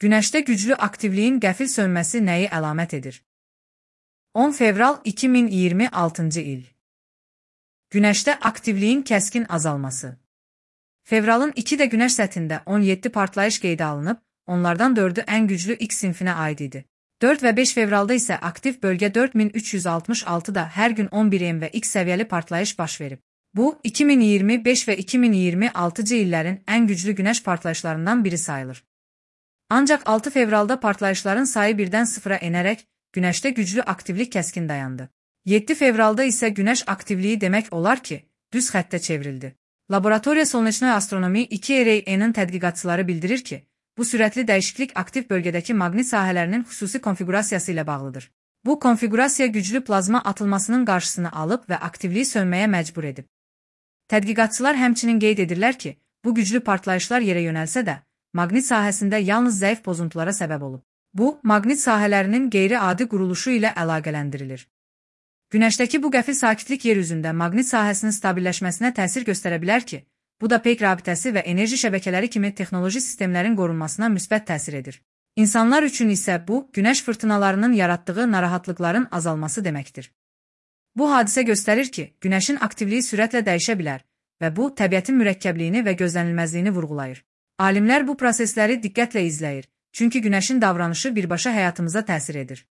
Günəşdə güclü aktivliyin qəfil sönməsi nəyi əlamət edir? 10 fevral 2026-cı il. Günəşdə aktivliyin kəskin azalması. Fevralın 2-də Günəş səthində 17 partlayış qeydə alınıb, onlardan 4-ü ən güclü X sinfinə aid idi. 4 və 5 fevralda isə aktiv bölgə 4366-da hər gün 11M və X səviyyəli partlayış baş verib. Bu, 2025 və 2026-cı illərin ən güclü Günəş partlayışlarından biri sayılır. Ancaq 6 fevralda partlayışların sayı birdən sıfıra enərək, Günəşdə güclü aktivlik kəskin dayandı. 7 fevralda isə Günəş aktivliyi demək olar ki, düz xəttə çevrildi. Laboratoriya Solneçnoy Astronomi 2RAN-ın tədqiqatçıları bildirir ki, bu sürətli dəyişiklik aktiv bölgədəki maqnit sahələrinin xüsusi konfiqurasiyası ilə bağlıdır. Bu konfiqurasiya güclü plazma atılmasının qarşısını alıb və aktivliyi sönməyə məcbur edib. Tədqiqatçılar həmçinin qeyd edirlər ki, bu güclü partlayışlar yerə yönəlsə də, maqnit sahəsində yalnız zəif pozuntulara səbəb olub. Bu, maqnit sahələrinin qeyri-adi quruluşu ilə əlaqələndirilir. Günəşdəki bu qəfil sakitlik yer üzündə maqnit sahəsinin stabilləşməsinə təsir göstərə bilər ki, bu da peyk rabitəsi və enerji şəbəkələri kimi texnoloji sistemlərin qorunmasına müsbət təsir edir. İnsanlar üçün isə bu, günəş fırtınalarının yaratdığı narahatlıqların azalması deməkdir. Bu hadisə göstərir ki, günəşin aktivliyi sürətlə dəyişə bilər və bu, təbiətin mürəkkəbliyini və gözlənilməzliyini vurğulayır. Alimlər bu prosesləri diqqətlə izləyir, çünki günəşin davranışı birbaşa həyatımıza təsir edir.